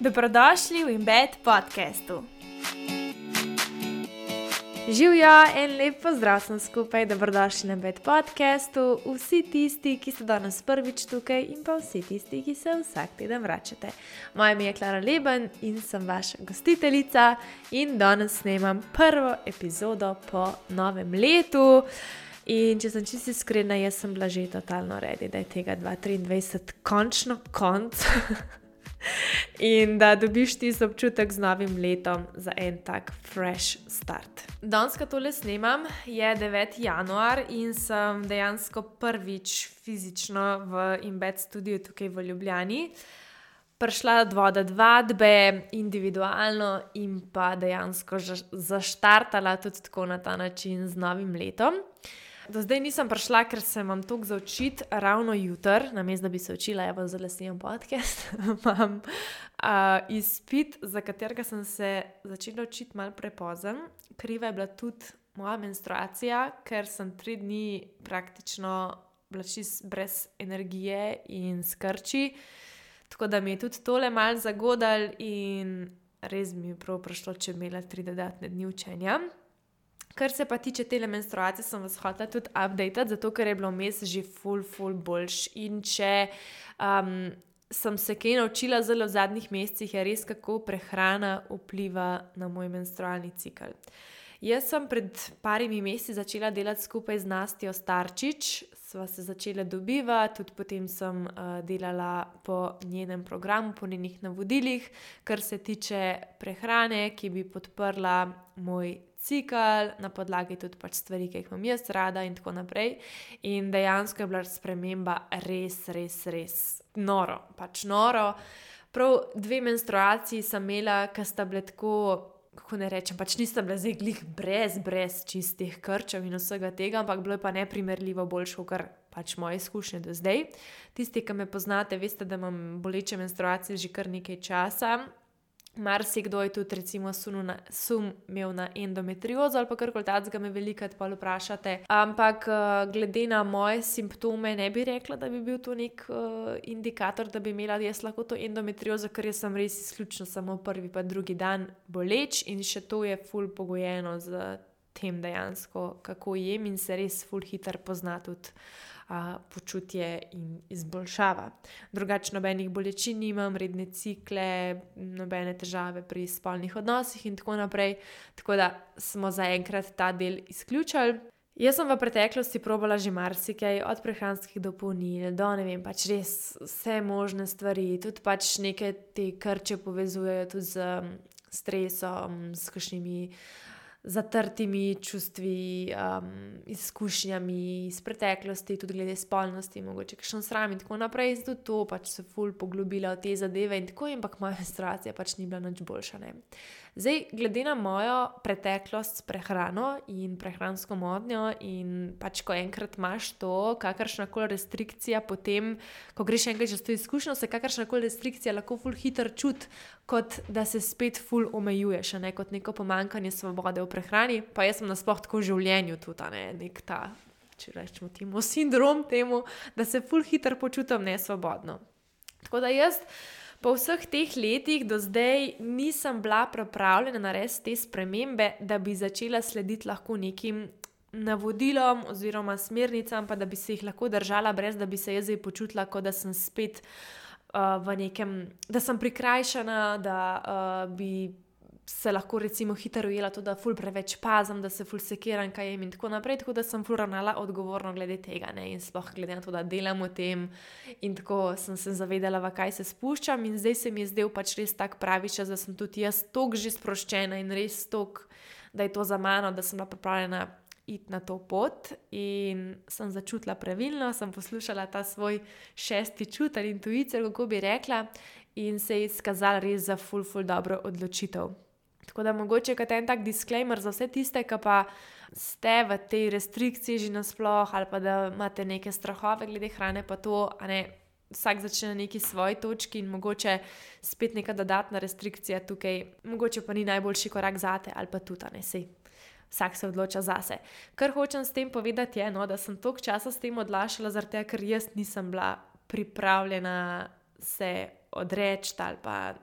Dobrodošli v Embed podcastu. Živjo, en lep pozdrav sem skupaj, dobrodošli na Embed podcastu, vsi tisti, ki ste danes prvič tukaj in pa vsi tisti, ki se vsak teden vračate. Moje ime je Klara Leben in sem vaša gostiteljica in danes snemam prvo epizodo po novem letu. In če sem čisto iskrena, jaz sem bila že totalno ready, da je tega 2023 končno konc. In da dobiš tisti občutek z novim letom za en tak fresh start. Danes, ko tole snemam, je 9. januar in sem dejansko prvič fizično v Embed studiu tukaj v Ljubljani prišla do vadbe individualno in pa dejansko zaštartala tudi tako na ta način z novim letom. Do zdaj nisem prišla, ker se imam toliko za učiti ravno jutri, namesto da bi se učila, ja, zdaj snemam podcast, imam izpit, za katerega sem se začela učiti malo prepozen. Kriva je bila tudi moja menstruacija, ker sem 3 dni praktično bila čisto brez energije in skrči, tako da mi je tudi tole malo zagodalo in res mi je prav prišlo, če bi imela 3 dodatne dni učenja. Kar se pa tiče tele menstruacije, sem vas hotela tudi updatati, zato ker je bilo vmes že ful boljš. In če sem se kaj naučila zelo v zadnjih mesecih, je res, kako prehrana vpliva na moj menstrualni cikel. Jaz sem pred parimi meseci začela delati skupaj z Nastjo Starčič, sva se začela dobivati, tudi potem sem delala po njenem programu, po njenih navodilih, kar se tiče prehrane, ki bi podprla moj cikel, na podlagi tudi pač stvari, ki jih imam jaz rada in tako naprej. In dejansko je bila sprememba res noro. Prav 2 menstruaciji sem imela, ki sta bile tako, kako ne rečem, pač nista bila zdaj glih brez čistih krčev in vsega tega, ampak bilo je pa neprimerljivo boljše, kot pač moje izkušnje do zdaj. Tisti, ki me poznate, veste, da imam boleče menstruacije že kar nekaj časa. Marsikdo je tudi recimo sum imel na endometriozo ali pa karkoli takega, me velikokrat pol vprašate. Ampak glede na moje simptome ne bi rekla, da bi bil to nek indikator, da bi imela jaz lahko to endometriozo, ker jaz sem res izključno samo prvi pa drugi dan boleč in še to je ful pogojeno z tem dejansko, kako jem in se res ful hitro pozna tudi počutje in izboljšava. Drugače nobenih bolečin nimam, redne cikle, nobene težave pri spolnih odnosih in tako naprej, tako da smo zaenkrat ta del izključili. Jaz sem v preteklosti probala že marsikaj, od prehranskih dopolnil do ne vem, pač res vse možne stvari, tudi pač neke te krče povezujejo tudi z stresom, s kakšnimi zatrtimi čustvi, izkušnjami iz preteklosti, tudi glede spolnosti, mogoče kakšen sram in tako naprej. Tudi to pač se ful poglobila v te zadeve in tako, ampak moja menstruacija pač ni bila nič boljša, ne. Zdaj, glede na mojo preteklost s prehrano in prehransko motnjo in pač ko enkrat imaš to, kakršnakoli restrikcija potem, ko greš enkrat čez to izkušnjo, se kakršnakoli restrikcija lahko ful hitro čuti, kot da se spet ful omejuješ, ne, kot neko pomanjkanje svobode v prehrani, pa jaz sem nasploh tako v življenju tudi, ne, nek ta, če rečemo temu, sindrom temu, da se ful hitro počutim nesvobodno. Tako da jaz po vseh teh letih do zdaj nisem bila pripravljena narediti te spremembe, da bi začela slediti lahko nekim navodilom oziroma smernicam, pa da bi se jih lahko držala, brez da bi se jaz zdaj počutila, kot da sem spet v nekem, da sem prikrajšana, da bi se lahko recimo hitro ujela to, da ful preveč pazim, da se ful sekiram, kaj jem in tako naprej, tako da sem ful ravnala odgovorno glede tega, ne, in sploh glede na to, da delam v tem in tako sem se zavedala, v kaj se spuščam in zdaj se mi je zdel pač res tak pravi čas, da sem tudi jaz toliko že sproščena in res toliko, da je to za mano, da sem bila pripravljena iti na to pot in sem začutila pravilno, sem poslušala ta svoj 6. čut ali intuicijo, kako bi rekla, in se je izkazala res za ful dobro odločitev. Tako da mogoče kot en tak disclaimer za vse tiste, ki pa ste v tej restrikciji že nasploh ali pa da imate neke strahove glede hrane pa to, a ne, vsak začne na neki svoji točki in mogoče spet neka dodatna restrikcija tukaj, mogoče pa ni najboljši korak zate ali pa tudi, a ne, sej. Vsak se odloča zase. Kar hočem s tem povedati je, da sem toliko časa s tem odlašala, zaradi tega, ker jaz nisem bila pripravljena se odreči ali pa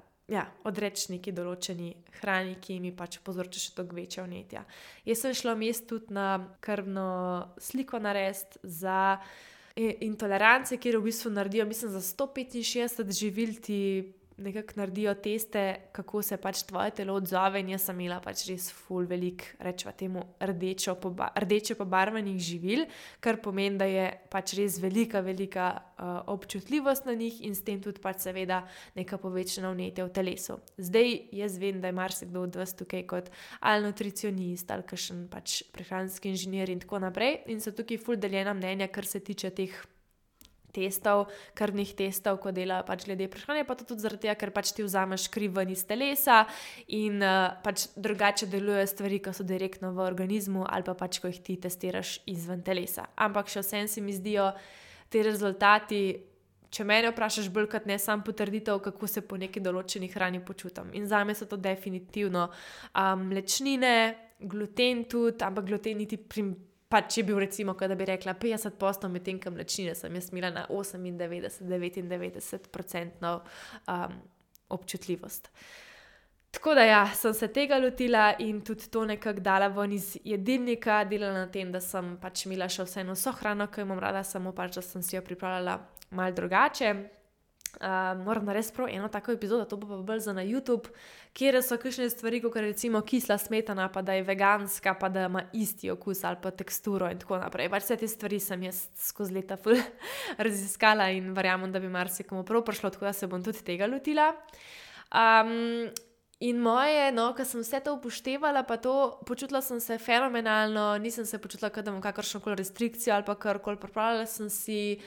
odreči neki določeni hrani, ki mi pač povzroča še toliko večja vnetja. Jaz sem šla vmes tudi na krvno sliko narediti za intolerance, kjer v bistvu naredijo, mislim, za 165 živil ti nekako naredijo teste, kako se pač tvoje telo odzove, in jaz sem imela pač res ful velik, rečeva temu, rdeče pobarvanih živil, kar pomeni, da je pač res velika občutljivost na njih in s tem tudi pač seveda neka povečana vnetja v telesu. Zdaj jaz vem, da je marsikdo od vas tukaj kot ali nutricionist ali kakšen pač prehranski inženir in tako naprej, in so tukaj ful deljena mnenja, kar se tiče teh krvnih testov, ko delajo pač glede prehrane, pa to tudi zaradi tega, ker pač ti vzameš kri ven iz telesa in pač drugače delujejo stvari, ko so direktno v organizmu ali pa pač, ko jih ti testiraš izven telesa. Ampak še vsem se mi zdijo ti rezultati, če mene vprašaš, bolj kot ne sam potrditev, kako se po neki določeni hrani počutim. In zame so to definitivno mlečnine, gluten tudi, ampak gluten niti pač je bil recimo, da bi rekla 50%, medtem ko mlečnine sem jaz imela na 98-99% občutljivost. Tako da sem se tega lotila in tudi to nekako dala ven iz jedilnika, delala na tem, da sem pač imela še vseeno vso hrano, ki jo imam rada, samo pač, da sem si jo pripravljala malo drugače. Moram narediti prav eno tako epizodo, to bo pa bolj za na YouTube, kjer so kakšne stvari, kot recimo kisla smetana, pa da je veganska, pa da ima isti okus ali pa teksturo in tako naprej. Pač vse te stvari sem jaz skozi leta ful raziskala in verjamem, da bi marsikomu prav prišlo, tako da se bom tudi tega lotila. In moje, ko sem vse to upoštevala, pa to, počutila sem se fenomenalno, nisem se počutila, da imam kakršnokoli restrikcijo ali pa karkoli, pripravljala sem si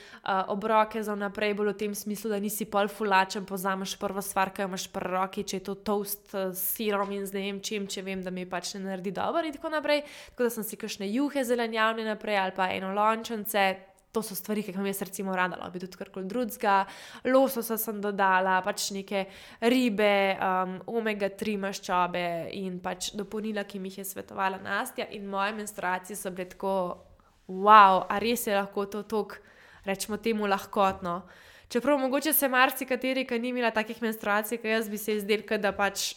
obroke za vnaprej, bolj v tem smislu, da nisi pol fulačen, pozameš prvo stvar, ki jo imaš pri roki, če je to toast s sirom in z ne vem čim, če vem, da mi pač ne naredi dobro in tako naprej. Tako da sem si kakšne juhe zelenjavne naprej ali pa enolončence. To so stvari, ki vam jaz recimo rada, bi tudi karkoli drugega. Lososa sem dodala, pač neke ribe, omega-3 maščobe in pač dopolnila, ki mi jih je svetovala Nastja, in moje menstruacije so bile tako, wow, a res je lahko to toliko, rečemo temu, lahkotno. Čeprav mogoče se marsikateri, ki ni imela takih menstruacij, ki jaz bi se izdelka, da pač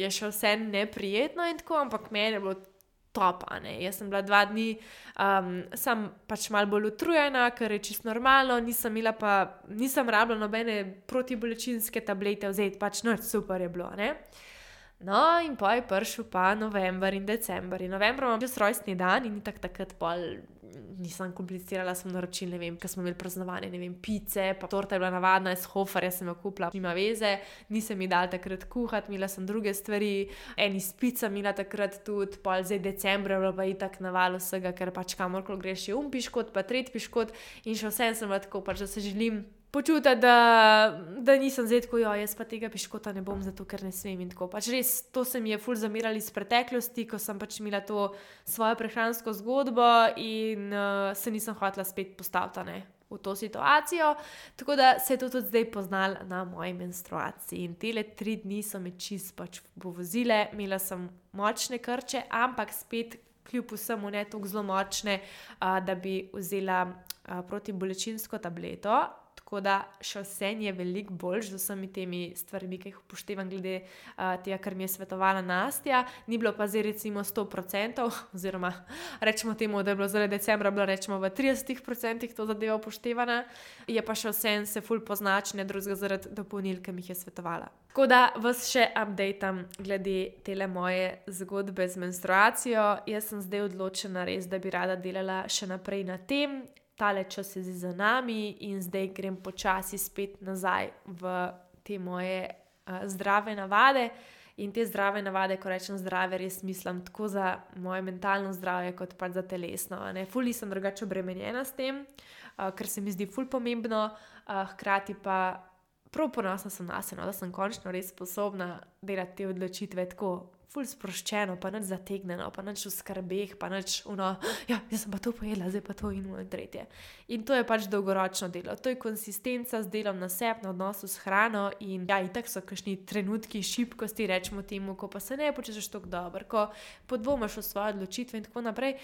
je še vse neprijetno in tako, ampak meni je bilo top, Jaz sem bila 2 dni, sem pač malo bolj utrujena, kar je čisto normalno, nisem rabila nobene protibolečinske tablete vzeti, pač super je bilo, No, in pa je prišel pa november in december. In novembra imam čez rojstni dan in takrat pol nisem komplicirala, sem naročila, ne vem, ker smo imeli praznovanje, ne vem, pice, pa torta je bila navadna, iz Hoferja sem jo kupila, nima veze, nisem mi dala takrat kuhati, imela sem druge stvari, eni s picami imela takrat tudi, pol zdaj decembra je bilo pa itak naval vsega, ker pač kamorkoli greš je piškot, pa tretji piškot in še vsem sem bila tako, pač da se želim počutiti, da nisem zdaj tako, jaz pa tega piškota ne bom, zato ker ne smem in tako. Pač res, to se mi je ful zamirali iz preteklosti, ko sem pač imela to svojo prehransko zgodbo in se nisem hotela spet postaviti v to situacijo. Tako da se je to tudi zdaj poznalo na moji menstruaciji. In tele 3 dni so me čist pač povozile, imela sem močne krče, ampak spet kljub vsemu ne toliko zelo močne, da bi vzela protibolečinsko tableto. Tako da še vse je veliko boljš z vsemi temi stvarmi, ki jih upoštevam glede tega, kar mi je svetovala Nastja. Ni bilo pa zdaj recimo 100%, oziroma rečemo temu, da je bilo zaradi decembra bilo rečemo v 30% to zadeva upoštevana. Je pa še vse se ful poznačne drugega zaradi dopolnil, ki mi jih je svetovala. Tako da vas še updateam glede tele moje zgodbe z menstruacijo. Jaz sem zdaj odločena res, da bi rada delala še naprej na tem. Tale čas je za nami in zdaj grem počasi spet nazaj v te moje zdrave navade. In te zdrave navade, ko rečem zdrave, res mislim tako za moje mentalno zdravje, kot pa za telesno. Ful nisem drugače obremenjena s tem, ker se mi zdi ful pomembno, hkrati pa prav ponosna sem nase, da sem končno res sposobna delati te odločitve tako ful sproščeno, pa nič zategnjeno, pa nič v skrbeh, pa nič jaz sem pa to pojedla, zdaj pa to in tretje. In to je pač dolgoročno delo. To je konsistenca z delom na sebi, na odnosu s hrano in itak so kakšni trenutki šibkosti, rečemo temu, ko pa se ne počutiš tako dobro, ko podvomaš v svoje odločitve in tako naprej,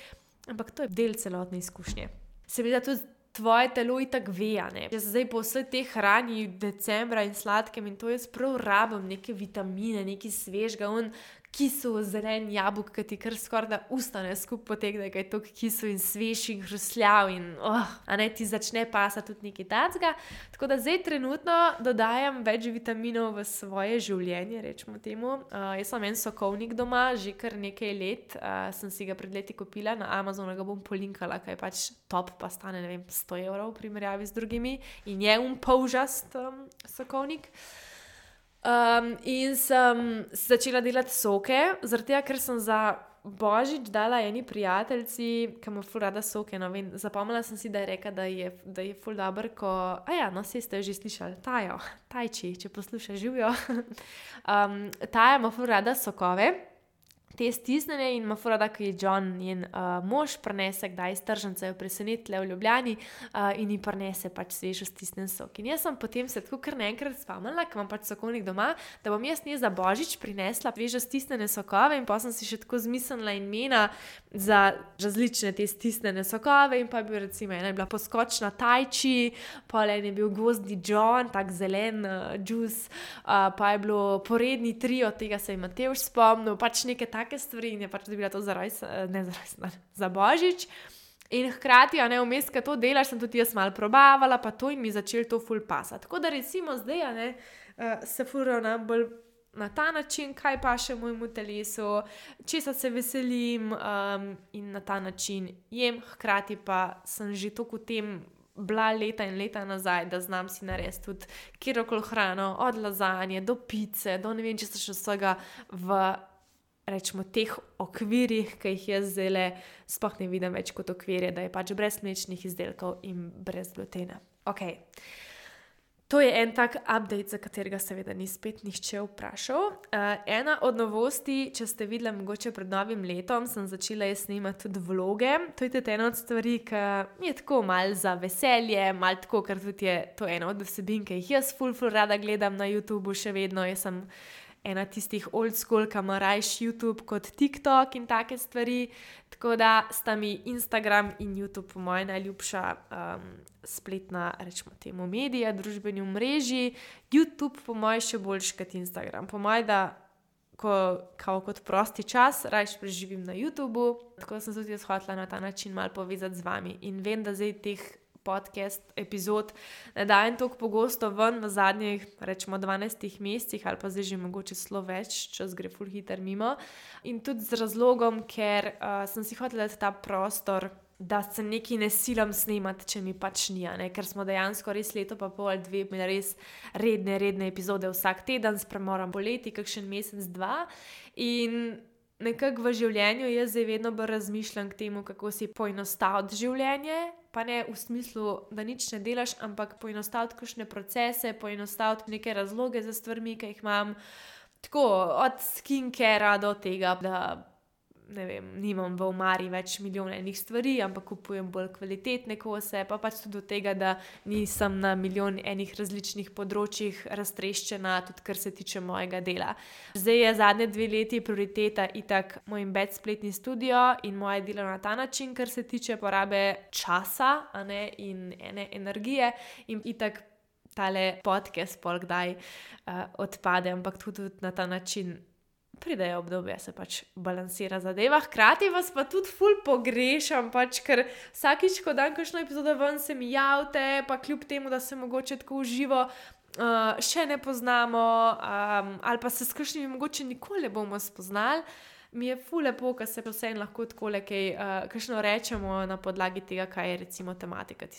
ampak to je del celotne izkušnje. Se mi da tudi tvoje telo itak ve, ne. Jaz zdaj po vsej tej hrani decembra in sladkem in to jaz prav rabim neke vitamine, nekaj svežega, kisel zelen jabolk, ki ti kar skoraj da usta ne skupaj potegne, kaj je toliko kisel in svež in hrustljav in a ne ti začne pasati tudi nekaj tacga. Tako da zdaj trenutno dodajam več vitaminov v svoje življenje, rečemo temu. Jaz sem en sokovnik doma, že kar nekaj let, sem si ga pred leti kupila, na Amazonu ga bom polinkala, kaj je pač top, pa stane, ne vem, 100 € v primerjavi z drugimi in je polžast sokovnik. In sem začela delati soke, zaradi tega, ker sem za Božič dala eni prijateljici, ki ima ful rada soke, no vem, zapomnila sem si, da je rekla, da je ful dober, saj ste jo že slišali, Tajči, če posluša, živijo. Taja ima ful rada sokove, te stisnjene in ima ful rada, ko je John, njen mož, prinese kdaj iz tržnice, jo presenetle v Ljubljani in ji prinese pač svežo stisnjen sok. In jaz sem potem se tako kar naenkrat spomnila, ker imam pač sokovnik doma, da bom jaz za Božič prinesla svežo stisnjene sokove in pa sem si še tako zmislila imena za različne te stisnjene sokove in pa je bil recimo, ena je bila poskočna Tajči, pol en je bil gozdni John, tak zelen džus, pa je bilo poredni trio, tega se je Matevž spomnil, pač neke take stvari in je pač dobila to za Božič. In hkrati, vmes, ko to delaš, sem tudi jaz malo probavala, pa to in mi začel to ful pasati. Tako da recimo zdaj, se ful ravnam bolj na ta način, kaj paše mojemu telesu, česa se veselim in na ta način jem, hkrati pa sem že toliko v tem bila leta in leta nazaj, da znam si narediti tudi kjerokoli hrano, od lazanje do pice, do ne vem, če se še vsega v rečemo teh okvirih, ki jih jaz zdajle sploh ne vidim več kot okvirje, da je pač brez mlečnih izdelkov in brez glutena. Ok, to je en tak update, za katerega seveda ni spet nihče vprašal. Ena od novosti, če ste videli mogoče pred novim letom, sem začela jaz snemati tudi vloge. To je tudi ena od stvari, ki mi je tako malo za veselje, malo tako, ker tudi je to ena od vsebin, ki jih jaz ful rada gledam na YouTubeu še vedno. Jaz sem ena tistih old school, ki ima rajši YouTube kot TikTok in take stvari. Tako da sta mi Instagram in YouTube po moje najljubša spletna, rečemo temu, medija, družbeni omrežji. YouTube po moje še boljši kot Instagram. Po moje, da kot prosti čas rajš preživim na YouTubeu. Tako da sem tudi jaz hotela na ta način malo povezati z vami. In vem, da zdaj teh podcast epizod ne dajem toliko pogosto ven v zadnjih, rečemo 12 mesecih ali pa zdaj že mogoče celo več, čas gre ful hiter mimo. In tudi z razlogom, ker sem si hotela dati ta prostor, da se nekaj ne silam snemati, če mi pač ni, ker smo dejansko res leto pa pol, 2 imeli res redne epizode vsak teden, s premorom poleti, kakšen mesec, 2 in nekako v življenju jaz zdaj vedno bolj razmišljam k temu, kako si poenostaviti življenje, pa ne v smislu, da nič ne delaš, ampak poenostaviti kakšne procese, poenostaviti neke razloge za stvarmi, ki jih imam, tako od skincarea do tega, da ne vem, nimam v omari več milijon enih stvari, ampak kupujem bolj kvalitetne kose, pa pač tudi do tega, da nisem na milijon enih različnih področjih raztreščena, tudi kar se tiče mojega dela. Zdaj je zadnje 2 leti prioriteta itak moj embed spletni studio in moje delo na ta način, kar se tiče porabe časa, in ene energije in itak tale podcast pol kdaj odpade, ampak tudi na ta način pridejo obdobje, se pač balansira zadeva. Hkrati vas pa tudi ful pogrešam, pač, ker vsakič, ko dam kakšno epizodo ven, se mi javite, pa kljub temu, da se mogoče tako v živo še ne poznamo, ali pa se s kakšnimi mogoče nikoli ne bomo spoznali, mi je ful lepo, ker se vseeno lahko takole kakšno rečemo na podlagi tega, kaj je recimo tematika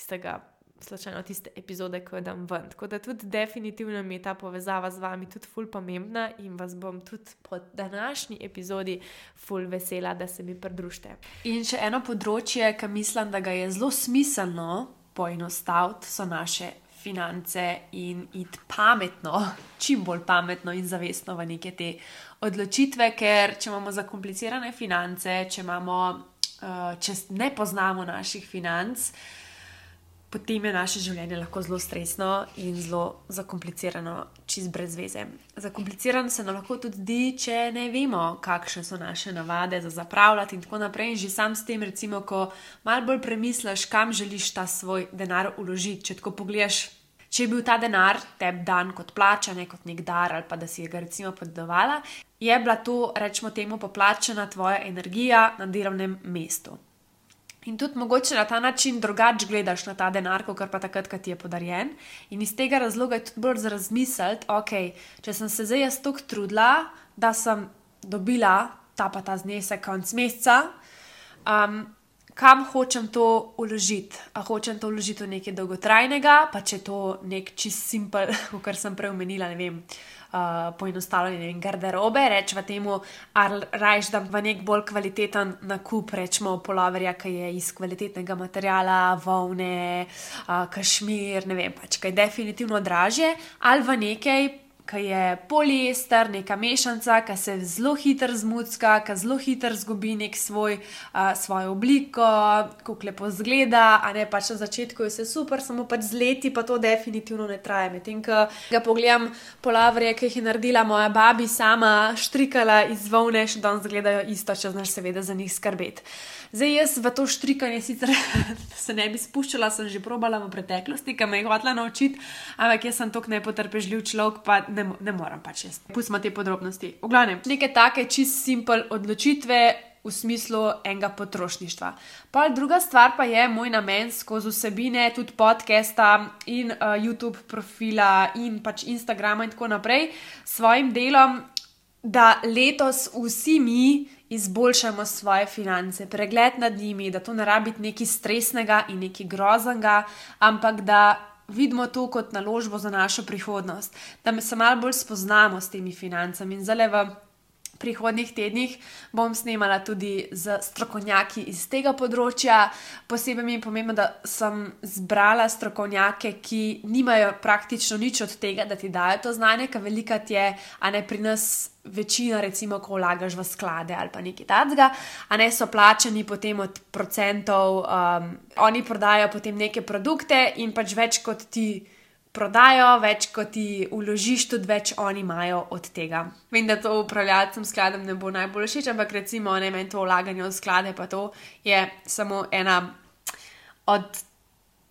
slučajno tiste epizode, ko jo dam ven. Tako da tudi definitivno mi je ta povezava z vami tudi ful pomembna in vas bom tudi po današnji epizodi ful vesela, da se mi pridružite. In še eno področje, ki mislim, da ga je zelo smiselno poenostaviti, so naše finance in iti pametno, čim bolj pametno in zavestno v neke te odločitve, ker če imamo zakomplicirane finance, če ne poznamo naših financ, potem je naše življenje lahko zelo stresno in zelo zakomplicirano, čist brez veze. Zakomplicirano se nam lahko tudi zdi, če ne vemo, kakšne so naše navade za zapravljati in tako naprej. In že sam s tem, recimo, ko malo bolj premisliš, kam želiš ta svoj denar vložiti, če tako pogledaš, če je bil ta denar tebi dan kot plača, ne kot nek dar ali pa da si ga recimo podedovala, je bila to, rečemo temu, poplačana tvoja energija na delovnem mestu. In tudi mogoče na ta način drugače gledaš na ta denar, kot pa takrat, ko ti je podarjen. In iz tega razloga je tudi bolj za razmisliti, ok, če sem se zdaj jaz toliko trudila, da sem dobila ta znesek konec meseca, kam hočem to vložiti? A hočem to vložiti v nekaj dolgotrajnega, pa če to nek čist simpel, kar sem prej omenila, ne vem, poenostavljanje garderobe, rečemo temu, ali rajš dam v nek bolj kvaliteten nakup, rečemo poloverja, ki je iz kvalitetnega materiala, volne, kašmir, ne vem, pač kaj je definitivno dražje, ali v nekaj, ki je poliester, neka mešanca, ki se zelo hitro zmucka, ki zelo hitro zgubi nek svojo obliko, kako lepo zgleda, a ne pač na začetku je vse super, samo pač z leti pa to definitivno ne traja. Medtem, ko ga pogledam poloverje, ki jih je naredila moja babi sama, štrikala iz volne, še danes zgledajo isto, če znaš seveda za njih skrbeti. Zdaj jaz v to štrikanje sicer se ne bi spuščala, sem že probala v preteklosti, ki me je hotela naučiti, ampak jaz sem toliko nepotrpežljiv človek, pa ne moram pač jaz. Pustimo te podrobnosti. V glavnem, neke take čist simpel odločitve v smislu enega potrošništva. Pa druga stvar pa je moj namen skozi vsebine, tudi podcasta in YouTube profila in pač Instagrama in tako naprej, s svojim delom, da letos vsi mi izboljšamo svoje finance, pregled nad njimi, da to ne rabi biti nekaj stresnega in nekaj groznega, ampak da vidimo to kot naložbo za našo prihodnost, da se malo bolj spoznamo s temi financami. In zdaj v prihodnjih tednih bom snemala tudi z strokovnjaki iz tega področja. Posebej mi je pomembno, da sem zbrala strokovnjake, ki nimajo praktično nič od tega, da ti dajo to znanje, ker velikokrat je, a ne pri nas večina, recimo, ko vlagaš v sklade ali pa nekaj takega, a ne so plačani potem od procentov, oni prodajo potem neke produkte in pač več kot ti prodajo, več kot ti vložiš, tudi več oni imajo od tega. Vem, da to upravljalcem skladom ne bo najbolj všeč, ampak recimo ne meni to vlaganje v sklade, pa to je samo ena od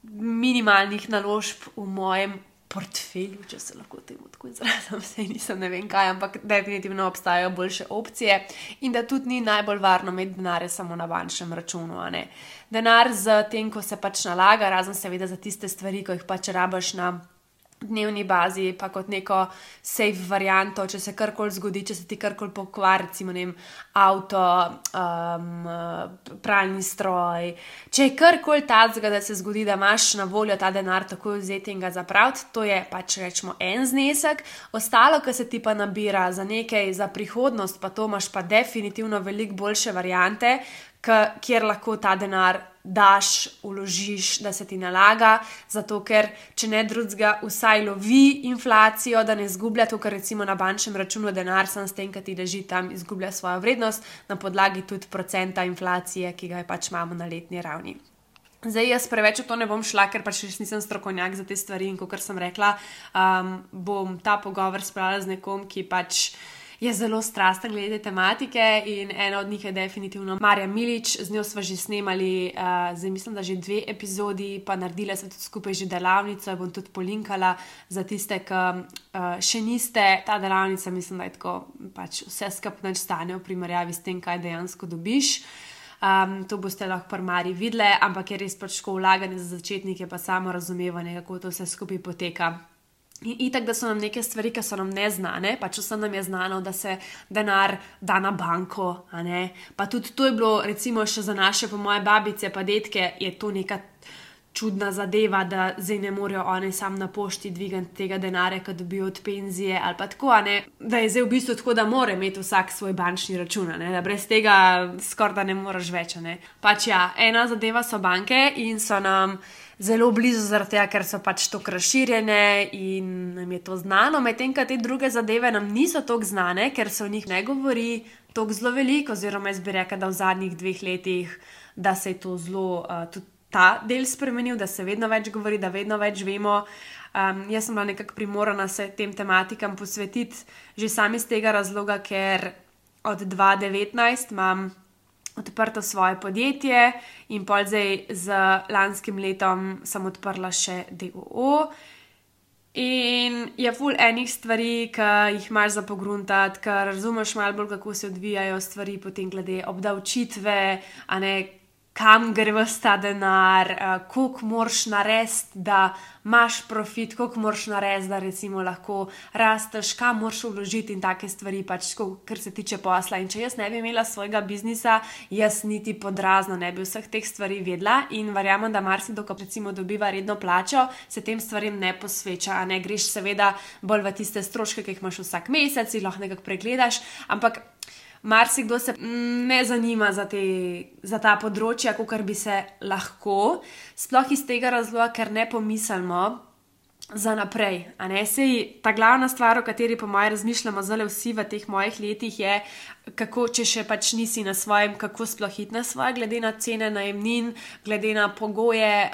minimalnih naložb v mojem portfelju, če se lahko temu tako izrazim, saj nisem ne vem kaj, ampak definitivno obstajajo boljše opcije in da tudi ni najbolj varno imeti denarja samo na bančnem računu, a ne. Denar z tem, ko se pač nalaga, razen seveda za tiste stvari, ko jih pač rabaš na dnevni bazi, pa kot neko safe varianto, če se karkoli zgodi, če se ti karkoli pokvari, recimo avto, pralni stroj, če je karkoli tacga, da se zgodi, da imaš na voljo ta denar takoj vzeti in ga zapraviti, to je pač rečemo en znesek, ostalo, ki se ti pa nabira za nekaj, za prihodnost, pa to imaš pa definitivno veliko boljše variante, kjer lahko ta denar daš, vložiš, da se ti nalaga, zato ker, če ne drugega, vsaj lovi inflacijo, da ne izgublja to, ker recimo na bančnem računu denar sam s tem, ki ti leži tam, izgublja svojo vrednost na podlagi tudi procenta inflacije, ki ga je pač imamo na letni ravni. Zdaj jaz preveč v to ne bom šla, ker pač nisem strokovnjak za te stvari in kot sem rekla, bom ta pogovor spravila z nekom, ki pač je zelo strasten glede tematike in ena od njih je definitivno Marja Milič, z njo sva že snemali, zdaj mislim, da že 2 epizodi, pa naredila sva tudi skupaj že delavnico, jo bom tudi polinkala za tiste, ki še niste. Ta delavnica mislim, da je tako pač vse skupaj nič stane v primerjavi s tem, kaj dejansko dobiš. To boste lahko pri Marji videli, ampak je res pač tako vlaganje za začetnike, pa samo razumevanje, kako to vse skupaj poteka. In itak, da so nam neke stvari, ki so nam neznane, pač vsem nam je znano, da se denar da na banko, a ne. Pa tudi to je bilo, recimo še za naše, po moje babice pa detke, je to neka čudna zadeva, da zdaj ne morejo one sam na pošti dvigati tega denarja, ki dobijo od penzije ali pa tako, a ne. Da je zdaj v bistvu tako, da mora imeti vsak svoj bančni račun, a ne. Da brez tega skoraj da ne moreš več, a ne. Pač ja, ena zadeva so banke in so nam zelo blizu zaradi tega, ker so pač tako razširjene in nam je to znano, medtem ko te druge zadeve nam niso toliko znane, ker se o njih ne govori toliko zelo veliko, oziroma jaz bi rekla, da v zadnjih 2 letih, da se je to zelo tudi ta del spremenil, da se vedno več govori, da vedno več vemo. Jaz sem bila nekako primorana se tem tematikam posvetiti že sami iz tega razloga, ker od 2019 imam odprto svoje podjetje in pol zdaj z lanskim letom sem odprla še DOO. In je ful enih stvari, ki jih imaš za pogruntati, ker razumeš malo bolj, kako se odvijajo stvari potem glede obdavčitve, a ne, kam gre ves ta denar, koliko moraš narediti, da imaš profit, koliko moraš narediti, da recimo lahko rasteš, kam moraš vložiti in take stvari, pač kar se tiče posla. In če jaz ne bi imela svojega biznisa, jaz niti podrazno ne bi vseh teh stvari vedela in verjamem, da marsikdo, ko recimo dobiva redno plačo, se tem stvarem ne posveča, a ne, greš seveda bolj v tiste stroške, ki jih imaš vsak mesec in lahko nekako pregledaš, ampak marsikdo se ne zanima za ta področja, kakor bi se lahko, sploh iz tega razloga, ker ne pomislimo za naprej. A ne? Sej ta glavna stvar, o kateri po mojem razmišljamo zdaj vsi v teh mojih letih, je, kako, če še pač nisi na svojem, kako sploh iti na svoje, glede na cene najemnin, glede na pogoje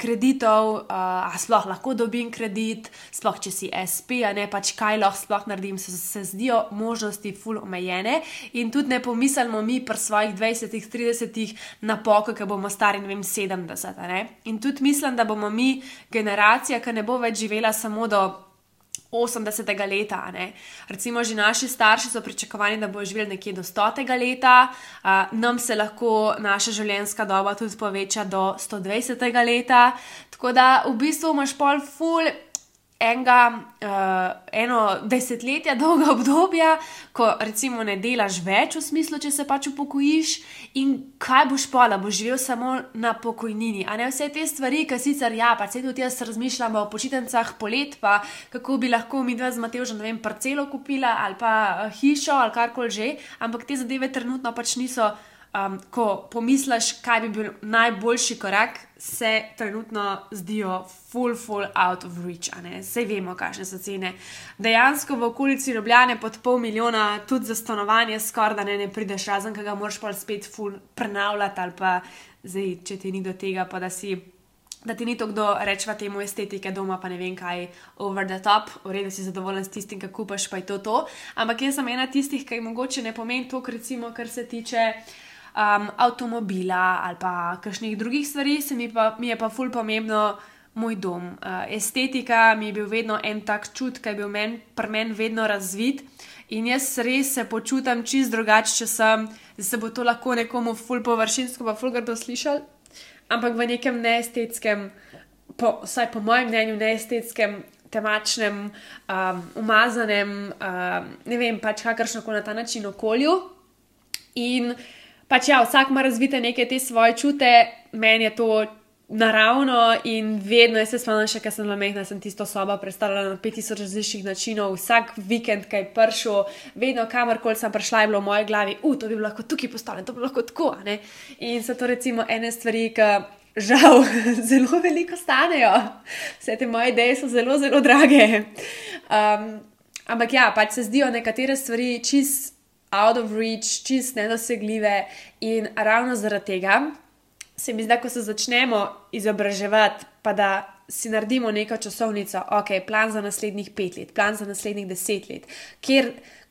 kreditov, a sploh lahko dobim kredit, sploh če si SP, a ne, pač kaj lahko sploh naredim, se zdijo možnosti ful omejene in tudi ne pomislimo mi pri svojih 20-30 na pokoj, ko bomo stari, ne vem, 70, a ne. In tudi mislim, da bomo mi generacija, ki ne bo več živela samo do 80. leta, ne. Recimo že naši starši so pričakovani, da bojo živeli nekje do 100. leta, nam se lahko naša življenjska doba tudi poveča do 120. leta, tako da v bistvu imaš pol ful eno desetletje dolga obdobja, ko recimo ne delaš več v smislu, če se pač upokojiš in kaj boš pola, boš živel samo na pokojnini, a ne vse te stvari, ki sicer pač se tudi jaz razmišljam o počitnicah polet, pa kako bi lahko midva z Matevžem, ne vem, parcelo kupila ali pa hišo ali karkoli že, ampak te zadeve trenutno pač niso, ko pomisliš, kaj bi bil najboljši korak, se trenutno zdijo full out of reach, a ne, sej vemo, kakšne so cene. Dejansko v okolici Ljubljane pod 500,000 tudi za stanovanje skoraj da ne prideš, razen ki ga moraš pa spet full prenavljati ali pa zdaj, če ti ni do tega, pa da ti ni to kdo rečva temu estetike doma, pa ne vem kaj, over the top, v redu si zadovoljen s tistim, ki kupaš, pa je to. Ampak jaz sem ena tistih, ki mogoče ne pomeni to, recimo, kar se tiče avtomobila ali pa kakšnih drugih stvari, mi je pa ful pomembno moj dom. Estetika mi je bil vedno en tak čut, ki je bil pri meni vedno razvit in jaz res se počutam čist drugače, če sem, da se bo to lahko nekomu ful površinsko pa ful grdo slišal, ampak v nekem neestetskem, vsaj po mojem mnenju neestetskem, temačnem, umazanem, ne vem, pač kakršnokoli na ta način okolju in pač vsak ima razvite neke te svoje čute, meni je to naravno in vedno, jaz se spomnim še, ker sem bila majhna, sem tisto sobo predstavljala na 5000 različnih načinov, vsak vikend, kaj je prišel, vedno kamorkoli sem prišla, je bilo v moji glavi, to bi bilo lahko tukaj postavljeno, to bi bilo lahko tako, ne. In so to recimo ene stvari, ki žal zelo veliko stanejo, vse te moje ideje so zelo drage. Ampak pač se zdijo nekatere stvari čist out of reach, čist nedosegljive in ravno zaradi tega se mi zdi, ko se začnemo izobraževati, pa da si naredimo neko časovnico, plan za naslednjih 5 let, plan za naslednjih 10 let,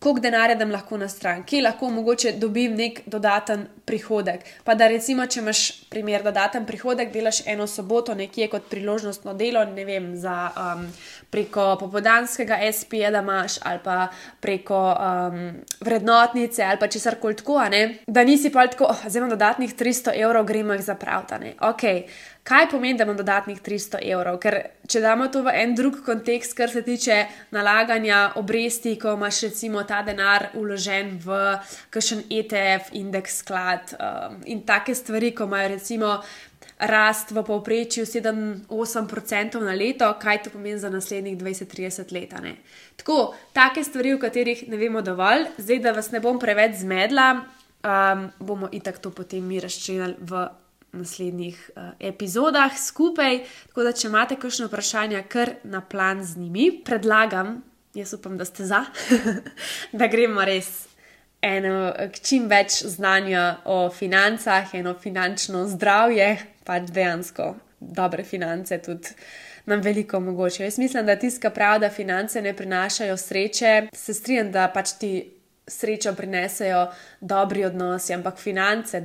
koliko denarja dam lahko na stran, kje lahko mogoče dobim nek dodaten prihodek, pa da recimo, če imaš primer dodaten prihodek, delaš eno soboto nekje kot priložnostno delo, ne vem, za preko popoldanskega SP-ja, da imaš, ali pa preko vrednotnice, ali pa česarkoli tako, ne, da nisi pa tako, zdaj imam dodatnih 300 evrov, gremo jih zapraviti, ne, kaj pomeni, da imam dodatnih 300 evrov? Ker če damo to v en drug kontekst, kar se tiče nalaganja obresti, ko imaš recimo ta denar vložen v kakšen ETF, indeks sklad in take stvari, ko imajo recimo rast v povprečju 7-8% na leto, kaj to pomeni za naslednjih 20-30 let, ne? Tako, take stvari, o katerih ne vemo dovolj, zdaj, da vas ne bom preveč zmedla, bomo itak to potem mi razčlenili v naslednjih epizodah skupaj, tako da če imate kakšno vprašanje, kar na plan z njimi, predlagam, jaz upam, da ste za, da gremo res čim več znanja o financah, eno finančno zdravje, pač dejansko dobre finance tudi nam veliko omogočajo. Jaz mislim, da tisti, ki pravi, da finance ne prinašajo sreče, se strinjam, da pač ti srečo prinesejo dobri odnosi, ampak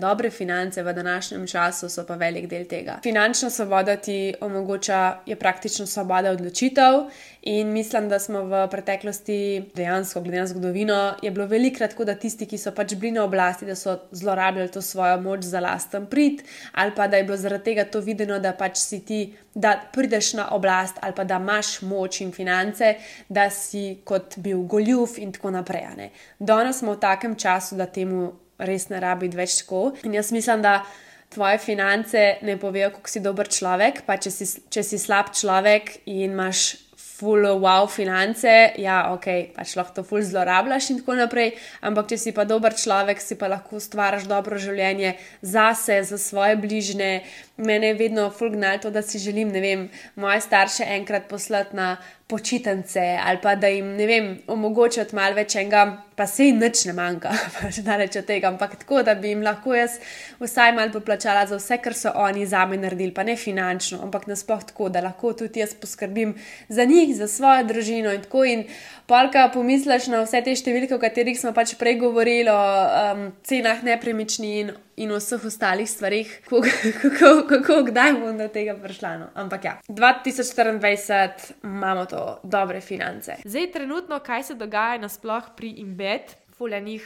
dobre finance v današnjem času so pa velik del tega. Finančna svoboda ti omogoča, je praktično svoboda odločitev in mislim, da smo v preteklosti dejansko, glede na zgodovino, je bilo velikrat tako, da tisti, ki so pač bili na oblasti, da so zlorabljali to svojo moč za lasten prid, ali pa da je bilo zaradi tega to videno, da pač si ti, da prideš na oblast ali pa da imaš moč in finance, da si kot bil goljuf in tako naprej. Ne? Danes smo v takem času, da temu res ne rabi več tako. In jaz mislim, da tvoje finance ne povejo, kako si dober človek, pa če si slab človek in imaš ful wow finance, ja, ok, pač lahko to ful zlorabljaš in tako naprej, ampak če si pa dober človek, si pa lahko ustvariš dobro življenje zase, za svoje bližnje. Mene je vedno ful gnalo to, da si želim, ne vem, moje starše enkrat poslati na počitnice ali pa da jim, ne vem, omogočati malo več enega, pa sej nič ne manjka, pač daleč od tega, ampak tako, da bi jim lahko jaz vsaj malo poplačala za vse, kar so oni zame naredili, pa ne finančno, ampak nasploh tako, da lahko tudi jaz poskrbim za njih, za svojo družino in tako. In polka pomisliš na vse te številke, o katerih smo pač prej govorili, o cenah nepremičnin in o vseh ostalih stvarih, kako kdaj bom do tega prišla. No? Ampak ja, 2024 imamo to dobre finance. Zdaj, trenutno, kaj se dogaja nasploh pri Embed, fuljanih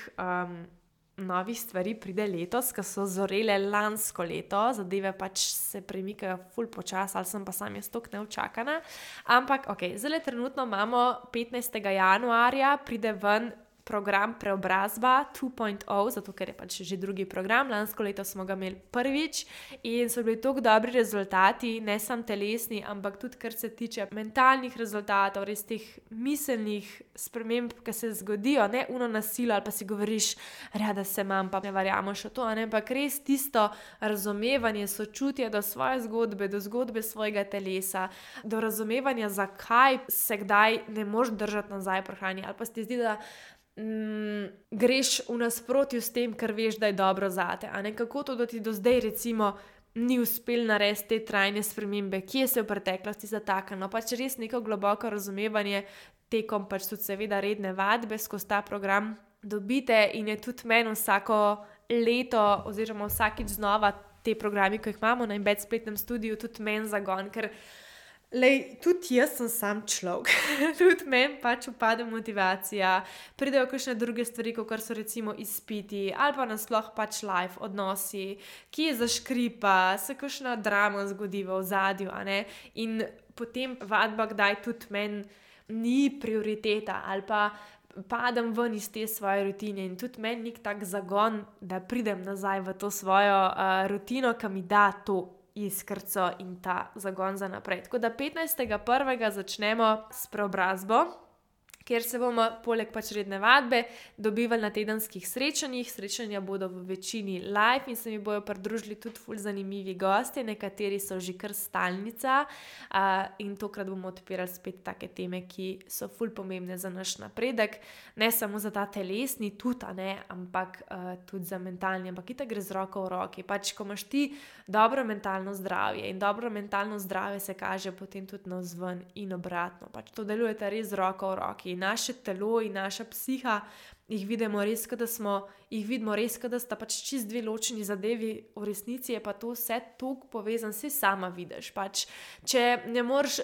novih stvari pride letos, ki so zorele lansko leto, zadeve pač se premikajo ful počas, ali sem pa sam jaz tok neučakana. Ampak, ok, zdaj trenutno imamo 15. januarja, pride ven program Preobrazba 2.0, zato ker je pač že drugi program, lansko leto smo ga imeli prvič in so bili tako dobri rezultati, ne samo telesni, ampak tudi kar se tiče mentalnih rezultatov, res teh miselnih sprememb, ki se zgodijo, ne uno nasilo ali pa si govoriš, rada se imam, pa ne verjameš v to, ampak res tisto razumevanje, sočutje do svoje zgodbe, do zgodbe svojega telesa, do razumevanja, zakaj se kdaj ne moreš držati nazaj pri hrani, ali pa se ti zdi, da greš v nasprotju s tem, kar veš, da je dobro zate. Kako to, da ti do zdaj recimo ni uspel narediti te trajne spremembe, kje se v preteklosti zataknilo, pač res neko globoko razumevanje tekom pač tudi seveda redne vadbe skozi ta program dobite in je tudi meni vsako leto oziroma vsakič znova te programi, ko jih imamo na Embed spletnem studiu, tudi meni zagon, ker tudi jaz sem sam človek, tudi meni pač upade motivacija, pridejo kakšne druge stvari, kot so recimo izpiti ali pa nasploh pač life odnosi, ki je zaškripa, se kakšna drama zgodi v ozadju, in potem vadba kdaj tudi meni ni prioriteta ali pa padem ven iz te svoje rutine in tudi meni nek tak zagon, da pridem nazaj v to svojo rutino, ki mi da to iskrco in ta zagon za naprej. Tako da 15.1. začnemo s preobrazbo, kjer se bomo poleg pač redne vadbe dobivali na tedenskih srečanjih. Srečanja bodo v večini live in se mi bojo pridružili tudi ful zanimivi gostje, nekateri so že kar stalnica in tokrat bomo odpirali spet take teme, ki so ful pomembne za naš napredek, ne samo za ta telesni tudi, ampak tudi za mentalni, ampak itak gre z roko v roki. Pač, ko imaš ti dobro mentalno zdravje in dobro mentalno zdravje se kaže potem tudi navzven in obratno. Pač to delujete res z roko v roki. Naše telo in naša psiha jih vidimo res, da sta pač čist dve ločeni zadevi, v resnici je pa to vse toliko povezano, vse sama vidiš. Pač, če ne moreš,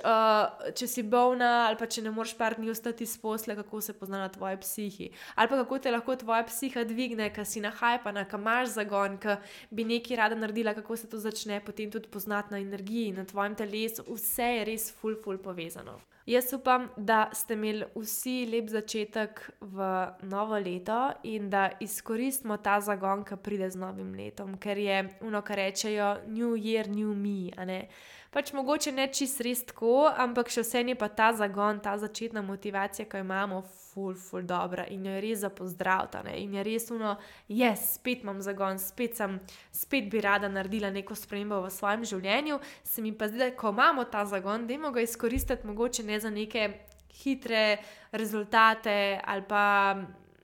če si bolna ali pa če ne moreš par dni ostati iz posle, kako se pozna na tvoji psihi. Ali pa kako te lahko tvoja psiha dvigne, ker si nahajpana, ker imaš zagon, ker bi nekaj rada naredila, kako se to začne potem tudi poznati na energiji, na tvojem telesu. Vse je res ful povezano. Jaz upam, da ste imeli vsi lep začetek v novo leto in da izkoristimo ta zagon, ki pride z novim letom, ker je kar rečejo New Year, New Me, Pač mogoče ne čist res tako, ampak še vse je pa ta zagon, ta začetna motivacija, ki jo imamo, ful dobra in jo je res za pozdraviti, in je res spet imam zagon, spet bi rada naredila neko spremembo v svojem življenju. Se mi pa zdi, da ko imamo ta zagon, dajmo ga izkoristiti mogoče ne za neke hitre rezultate ali pa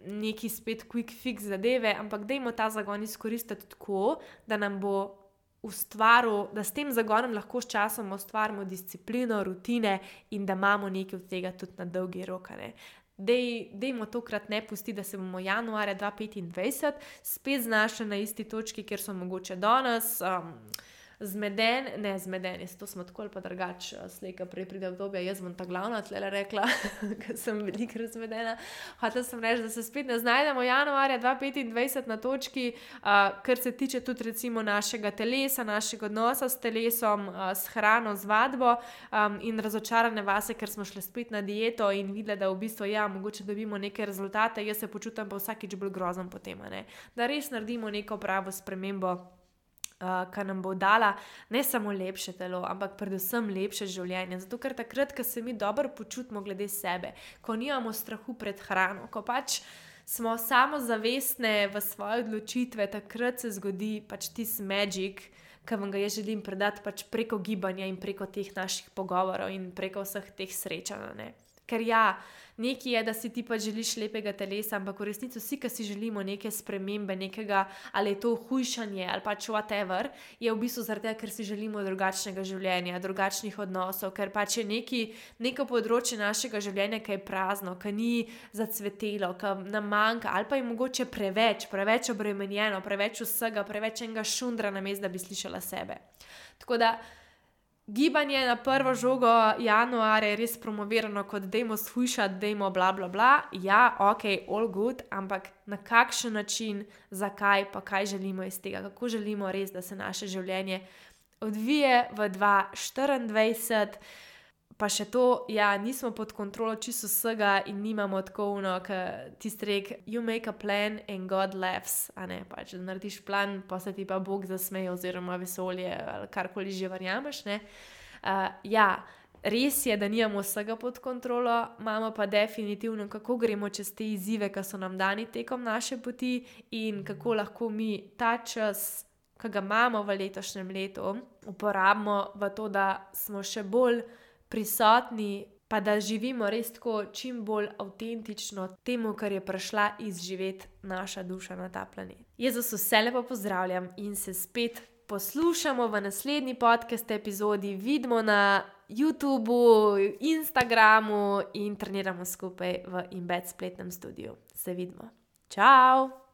neki spet quick fix zadeve, ampak dajmo ta zagon izkoristiti tako, da nam bo ustvaril, da s tem zagonom lahko s časom ustvarimo disciplino, rutine in da imamo nekaj od tega tudi na dolgi rok. Dejmo tokrat ne pusti, da se bomo januarja 2025 spet znašli na isti točki, kjer so mogoče danes, zmedeni, to smo tako ali pa drugače, slejka prej pride obdobje, jaz bom ta glavna tlele rekla, ker sem veliko razmedena. Hotela sem reči, da se spet ne znajdemo januarja 2025 na točki, kar se tiče tudi recimo našega telesa, našega odnosa s telesom, s hrano, z vadbo, in razočarane vase, ker smo šli spet na dieto in videli, da v bistvu mogoče dobimo neke rezultate, jaz se počutim pa vsakič bolj grozen potem, da res naredimo neko pravo spremembo, ki nam bo dala ne samo lepše telo, ampak predvsem lepše življenje. Zato, ker takrat, ko se mi dobro počutimo glede sebe, ko nimamo strahu pred hrano, ko pač smo samozavestne v svoje odločitve, takrat se zgodi pač tisti magic, ki vam ga jaz želim predati pač preko gibanja in preko teh naših pogovorov in preko vseh teh srečanj. Ker nekaj je, da si ti pa želiš lepega telesa, ampak v resnici vsi, ki si želimo neke spremembe, nekega, ali je to hujšanje ali pač whatever, je v bistvu zaradi tega, ker si želimo drugačnega življenja, drugačnih odnosov, ker pač je neko področje našega življenja, ki je prazno, ki ni zacvetelo, ki nam manjka, ali pa je mogoče preveč obremenjeno, preveč vsega, preveč enega šundra namesto, da bi slišala sebe. Tako da gibanje na prvo žogo januarja je res promovirano kot dajmo shujšati, dajmo bla bla bla. Ja, ok, all good, ampak na kakšen način, zakaj, pa kaj želimo iz tega, kako želimo res, da se naše življenje odvije v 2024, pa še to, nismo pod kontrolo čisto vsega in nimamo tako tisti rek, you make a plan and God laughs, pač, da narediš plan, pa se ti pa Bog zasmeje oziroma vesolje ali karkoli že verjameš, res je, da nimamo vsega pod kontrolo, imamo pa definitivno, kako gremo čez te izzive, ki so nam dani tekom naše poti in kako lahko mi ta čas, ki ga imamo v letošnjem letu, uporabimo v to, da smo še bolj prisotni, pa da živimo res tako čim bolj avtentično temu, kar je prišla izživeti naša duša na ta planet. Jaz vas vse lepo pozdravljam in se spet poslušamo v naslednji podcast epizodi, vidimo na YouTubeu, Instagramu in treniramo skupaj v Embed spletnem studiu. Se vidimo. Čau!